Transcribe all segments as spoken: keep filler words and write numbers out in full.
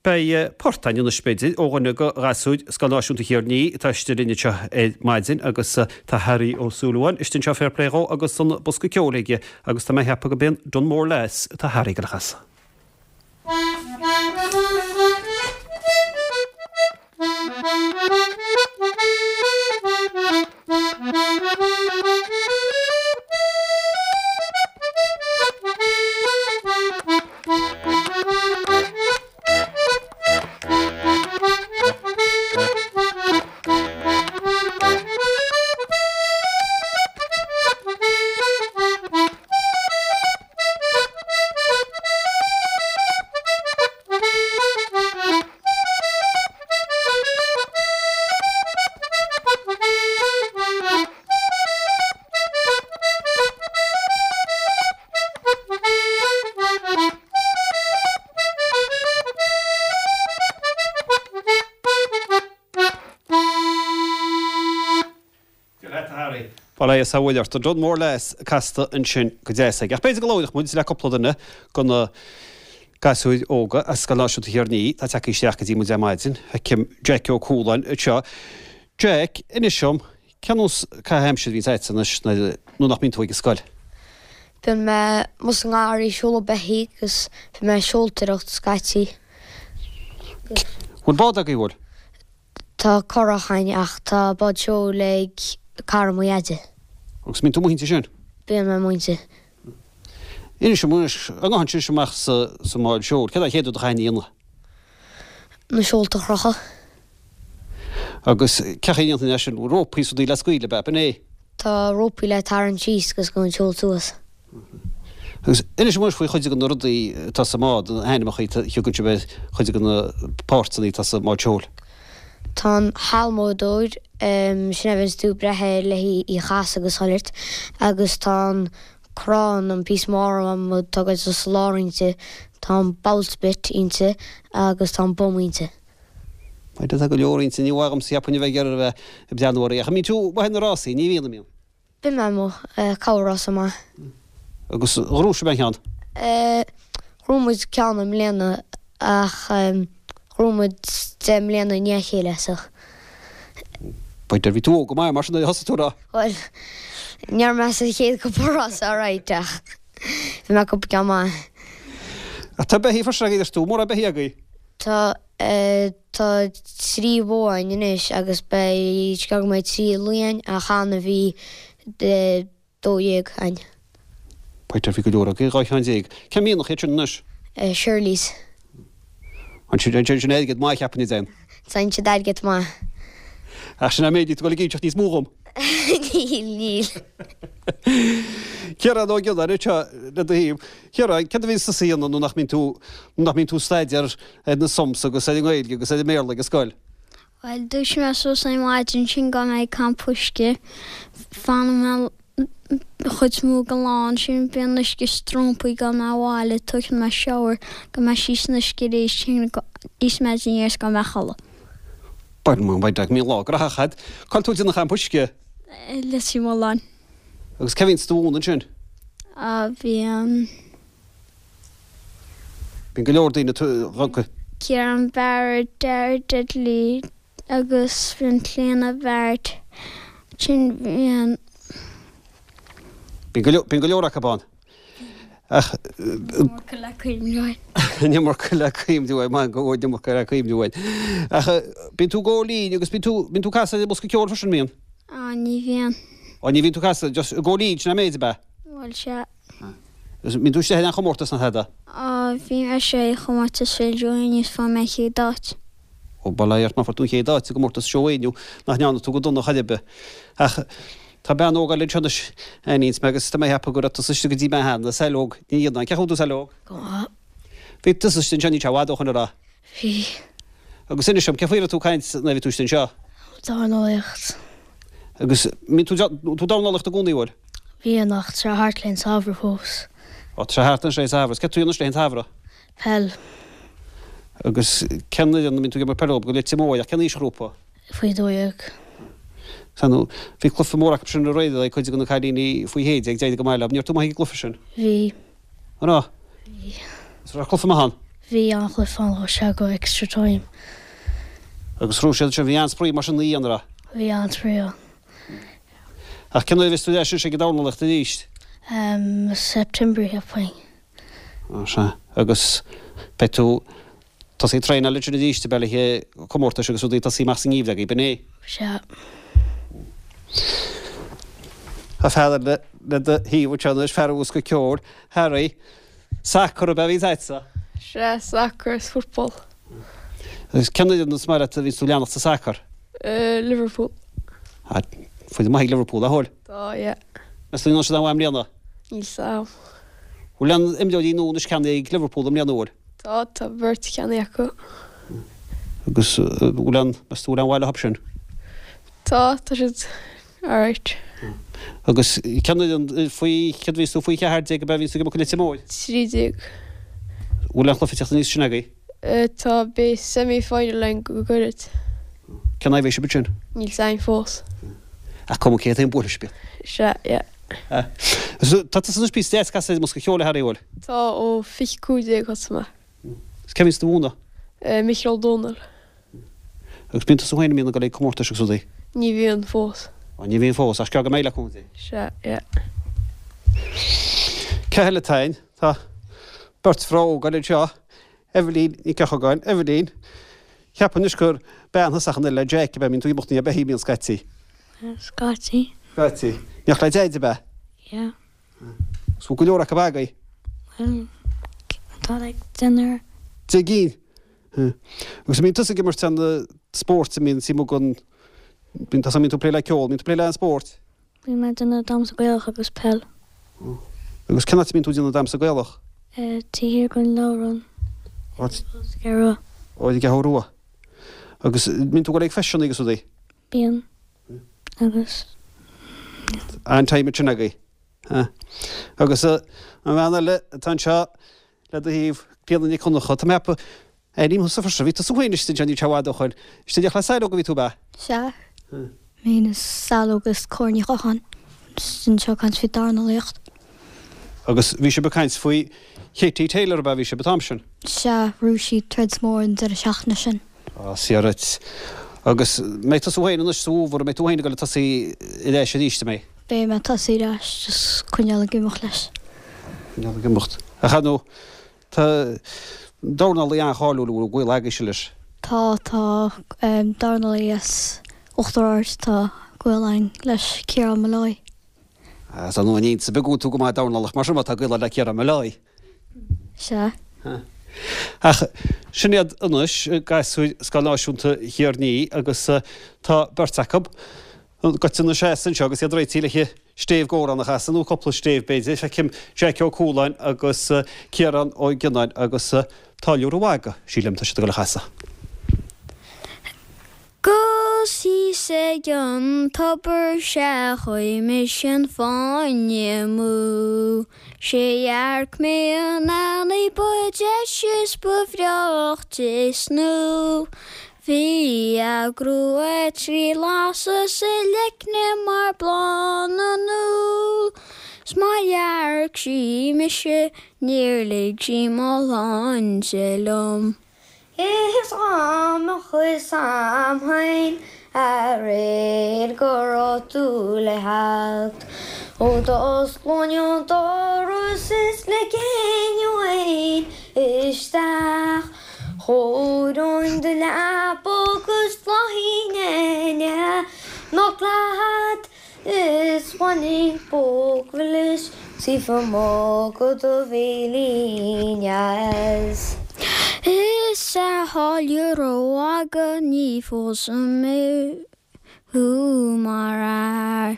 Beidh port againn anois b'fhéidir ó dhuine de ghasúir Scoil Náisiúnta Thír an Fhia atá istigh linn anseo ar maidin agus tá Harry Ó Súilleabháin istigh anseo fair play dhó agus an bosca ceoil aige agus tá mé ag ceapadh gurb é an Dunmore Lass atá Harry ag gabháil a chasadh. Dia leat, a Harry. Bail ó Dhia is a bhuile ort. An Dunmore Lass casta ansin go deas aige. Ach b'fhéidir go labhródh muid le cúpla duine de na gasúir óga as Scoil Náisiúnta Thír an Fhia atá tagtha isteach go dtí muid ar maidin. Feicim Jack Ó Cualáin anseo. Jack, inis dom, cén nós caitheamh aimsire a bhíonns agat anois nuair nach mbíonn tú ag an scoil? Bíonn mé amuigh sa ngarraí ag seoladh beithígh agus bíonn mé ag seoltóireacht scaití. Bhfuil bád agaibh, bhfuil? Tá curach againn ach tá bád seoil ag cara mo dhaide. Agus mbíonn tú amuigh inti sin? Bíonn mé amuigh inti. Inis dom anois, an ngabhann sibh amach sa sa mbád seoil, céard é an chéad rud a chaithfidh a dhéanamh? Na seolta a chrochadh. Agus cén chaoi a ndéanann é sin? Rópaí is rudaí le scaoileadh, ab ea? B'in é? Tá rópaí le tarraingt síos agus gabhann an seol suas. Agus inis dom anois faoi chuid de na rudaí atá sa mbád, na hainmneacha a thugann sibh ar chuid de na páirteanna atá sa mbád seoil. Tá an halmódóir, sin é a bhíonns tú ag breith air le í a chasadh agus chuile shórt, agus tá an crann, an píosa mór adhmaid atá ag dul sa lár inti, tá an bowsprit inti agus tá an bum inti. B'fhéidir tá go leor inti, ní bheadh agamsa cheapfainn a bheith ag iarraidh a bheith ag breathnú uirthi, ach an mbíonn tú amuigh ar na rásaí? Ní bhíonn, an mbíonn? Bíonn mé amuigh, corr-rása maith. Agus ghnóthaigh sibh aon cheann? Ghnóthaigh muid ceann i mbliana ach ghnóthaigh muid deich mbliana i ndiaidh a chéile so. B'fhéidir, bhí tú óg go maith mar sin nuair a thosaigh tú, raibh? Bhuel, ní raibh mé sa chéad cúpla rása alright ach bhí mé cúpla ceann maith. Ach tá beithígh freisin agaibh, deir tú, mórán beithígh agaibh? Tá. Tá trí bhó againn anois agus beidh, go mbeidh trí lao againn ach cheana bhí dó dhéag againn. B'fhéidir bhí go leor agaibh, dhá cheann déag. Cén mianach iad sin anois? Shirleys. Ansin, sin airgead maith cheapfainn a dtéann. Téann siad airgead maith. Ach sin an méid tú ag dul ag inseacht níos mó dhom. Níl, níl. Ciarán Ó Gionnáin anseo le do thaobh. Ciarán, céard a bhíonns tusa a dhéanamh nuair nach mbíonn tú, nuair nach mbíonn tú ag staidéar ar na sums agus ar an nGaeilge agus ar an mBéarla ag an scoil? Bhuel, dúisíonn mé suas ar maidin ansin gabhann mé ag campa uisce. Fanann mé an chuid is mó den lá ansin, bíonn uisce strompaí, gabhann mé abhaile, tógann mé shower, gabhann mé síos san uisce arís, íosfaidh mé dinnéar is gabhann mé a chodladh. Bhuel, bhuel, bíonn lá graitheach agat. Cá bhfuil tú ag déanamh campa uisce? Leitir Mealláin. Agus cé bhíonns do mhúineadh ansin? A bhíonn. Bíonn go leor daoine tugtha. Ciarán Barrett, Dara Diddley agus bíonn Clíona Barrett, ansin bíonn. Bíonn go leor, bíonn go leor acu ann. Ach. An iomarca le cuimhniú air. An iomarca le cuimhniú air, maith go bhfuil an iomarca le cuimhniú air. Ach bíonn tú ag gabháil fhoinn agus bíonn tú, bíonn tú ag casadh ar an mbosca ceoil freisin, mbíonn? Á, ní bhíonn. Á, ní bhíonn tú ag casadh, just ag gabháil fhoinn, sin an méid, ab ea? Bhuel, sea. Agus mbíonn tú istigh in aon chomórtas ná tada? Á, bhí mé istigh i chomórtas Phil Joe inniu is fuair mé an chéad áit. Ó, bail ó Dhia ort má fuair tú an chéad áit i gcomórtas Joe inniu, nach ndearna tú go dona chor ar bith. Ach tá bean óg eile anseo anois, aithníonns mé agus tá mé ag ceapadh go raibh tusa istigh go dtí mé cheana, Saileog Ní Fhíonáin. Cén chaoi a bhfuil tú, Saileog? Go maith. Bhí tusa istigh anseo níl sé i bhfad ó shoin, an raibh? Bhí. Agus inis dom, cén faoi a raibh tú ag caint nuair a bhí tú istigh anseo? Dornálaíocht. Agus mbíonn tú tú dornálaíocht i gcónaí, bhfuil? Bhíonn, ach tá sé thart leis an samhradh fós. Ó, tá sé thart anois leis an samhradh. Céard tú anois leis an samhradh? Peil. Agus cén fhoireann a mbíonn tú ag imirt peile go Leitir Móir, ach cén aoisghrúpa? Faoi dó dhéag. Sea, nó bhí cluiche mór acu sin aréir le cuid de na cailíní faoi shé déag, d'éirigh go maith leo. Ní raibh tú maith ag an gcluiche sin? Bhí. An raibh? Bhí. Is raibh cluiche maith ann? Bhí an-chluiche ann, chuaigh sé go extra time. Agus ghnóthaigh siad sin, bhí an-spraoi mar sin an raibh? Bhí an-spraoi ann. Ach cén uair a bheas tú ar ais ag an dornálaíocht arís? Um, September cheapfainn. Ó sea. Agus beidh tú tosaí traenáil ansin arís ab ea le haghaidh comórtais agus rudaí tosaí amach sa ngeimhreadh agaibh, an é? Sea. Tá fear eile le do thaobh anseo anois, fear an bhosca ceoil, Harry. Sacar ab ea a bhí agatsa? Sea, sacar is football. Agus cén fhoireann is maith leat a bhíonns tú ag leanacht sa sacar? Liverpool. Ah, foireann maith ag Liverpool, a bhfuil? Tá, yeah. Meas tú an ndéanfaidh siad an-mhaith i mbliana? Níl 's a'm. Bhfuil aon imreoirí nua anois ceannaithe ag Liverpool i mbliana, an bhfuil? Tá, tá beirt ceannaithe acu. Agus bhfuil aon, meas tú bhfuil aon mhaith leo sin? Tá, tá siad alright. Agus cén fhoireann faoi, céard a bhíonns tú faoi cheathair déag ab ea a bhíonns tú ag imirt an liathróid? Trí déag. Bhfuil aon chluiche ag teacht aníos sin agaibh? Tá, beidh semi final againn go gairid. Cén aghaidh a bheidh sibh ansin? Níl 's a'inn fós. Ach cuma cé taobh buailfidh sibh iad. Sea, yeah. Tá tusa anois píosa deas casadh ar an mbosca ceoil a Harry, an bhfuil? Tá, ó fiche cúig déag thosaigh mé. Is cé a bhíonns do mhúineadh? Micheál Ó Dónaill. Agus bíonn tusa féin, an mbíonn ag dul ag comórtais agus rudaí? Ní bhíonn fós. Ó, ní bhíonn fós, ach is gearr go mbeidh le cúnamh Dé. Sea, yeah. Cé eile atá ann? Tá beirt mhná óga eile anseo, Eibhlín Nic Eochagáin. Eibhlín, cheapfainn anois gur bean thusa ach an oiread le Jack, ab ea? Mbíonn tú ag imeacht ina dhiaidh, mbíonn scaití? Scaití. Scaití. In éineacht le Deaid, ab ea? Yeah. Is bhfuil go leor acu agaibh? Bhuel, tá like deichniúr. Deich gcinn? Agus an mbíonn tusa ag imirt aon spóirt, an mbíonn suim agat, bíonn tusa, mbíonn tú ag plé le ceol, mbíonn tú ag plé le aon spórt? Bíonn mé ag déanamh damhsa Gaelach agus peil. Agus cén áit a mbíonn tú ag déanamh damhsa Gaelach? Taobh thiar den leabharlann. Áit? Sa gCeathrú Rua. Ó, i gCeathrú Rua. Agus mbíonn tú ag dul ag feiseanna agus rudaí? Bíonn. Agus. An-time ansin agaibh. Agus an bhean eile atá anseo le do thaobh, Clíona Nic Dhonncha, tá mé ag ceapadh, Ainm thusa freisin, bhí tusa féin istigh anseo níl sé i bhfad ó shoin. Istigh in éineacht le Saileog a bhí tú, ab ea? Sea. Mé féin is Saileog agus Córa Ní Chatháin anseo ag caint faoi dornálaíocht. Agus bhí sibh ag caint faoi Katie Taylor, ab ea? Bhí sibh an t-am sin? Sea, ghnóthaigh sí troid mór an deireadh seachtaine sin. Á, sea duit. Agus mbeidh tusa féin anois sa bhfómhar, an mbeidh tú féin ag dul ag tosaí ar ais arís, an mbeidh? Beidh mé ag tosaí ar ais, just coinneáil ag imeacht leis. Coinneáil ag imeacht. Ach ar ndóigh, Tá dornálaí an-cháiliúil a bhfuil gaol agaibhse leis. Tá, tá dornálaí as Uachtar Ard, tá gaol againn leis, Ciarán Molloy. Is ar ndóigh ní iontas ar bith go bhfuil tú go maith ag dornálaíocht mar sin má tá gaol agat le Ciarán Molloy. Sea. Ach sin iad anois, gasúir Scoil Náisiúnta Thír an Fhia agus tá beirt acu goite ina seasamh anseo agus iad réitithe le stéibh dh'amhrán a chasadh, nó cúpla stéibh b'fhéidir. Feicim Jaic Ó Cualáin agus Ciarán Ó Gionnáin agus Táilliúir an Mhagaidh, sílim, tá siad ag dul a chasadh. 'Gus thíos ag an tobar sea chuaigh mise an fáinne amú. 'Sé dhearc mé an eanaigh ba deise is ba bhreáichte snoe. Bhí a grua trí lasadh 's a leicne mar bláth na n-úll, 's má dhearc sí mise níor lig sí mo shláinte liom. Is dá mbeadh fhios a'm féin aréir go raibh tú le theacht Ó d'osclóinn an doras is ligfinn uainn isteach Chóireoinn do leaba agus d'fhlaithfinn in éineacht leat Is bhainfinn póg mhilis taobh amuigh de do bhéilín dheas. Is a tháilliúir an mhagaidh ní phósfaidh mé thú mar fhear.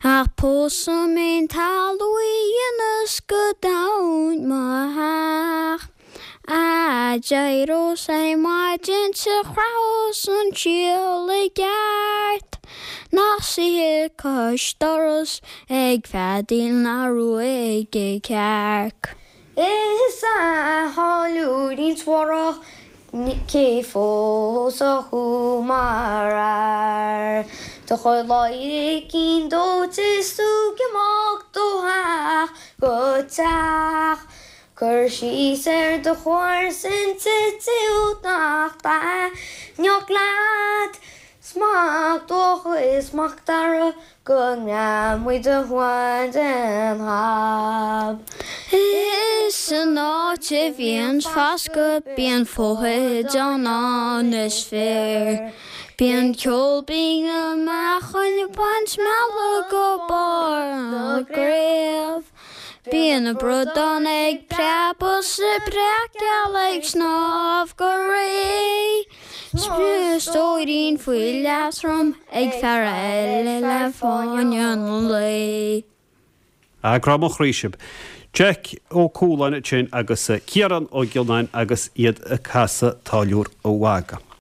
Ach pósfaidh mé an talamh a dhéanfas go domhain mo theach. A d'éireos ar maidin 's a chraithfeas an síol i gceart, nach suífidh cois dorais ag feadaíl ná ruaigfidh cearc. Is a tháilliúirín suarach cé phósfadh thú mar fhear? Do chuir ladhairicín dóite is tú ag imeacht ó theach go teach. Cur síos ar do chomharsain siúd nach dtaitneodh leat 'S Mac Dócha is Mac Dara go ngreamóidh muid do thóin den chab. Is san áit a bhíonn fascadh bíonn foighid ann is fíor. Bíonn ceol binn na meáchain ag baint meala go barr na gcraobh. Bíonn na bradáin ag preabadh 's na breac geala ag snámh go réidh. 'S stóirín faoi leatrom ag fear eile le fáinne an lae. Ah, grá mo chroí sibh. Jack Ó Cualáin ansin agus Ciarán Ó Gionnáin agus iad ag casadh Táilliúir an Mhagaidh.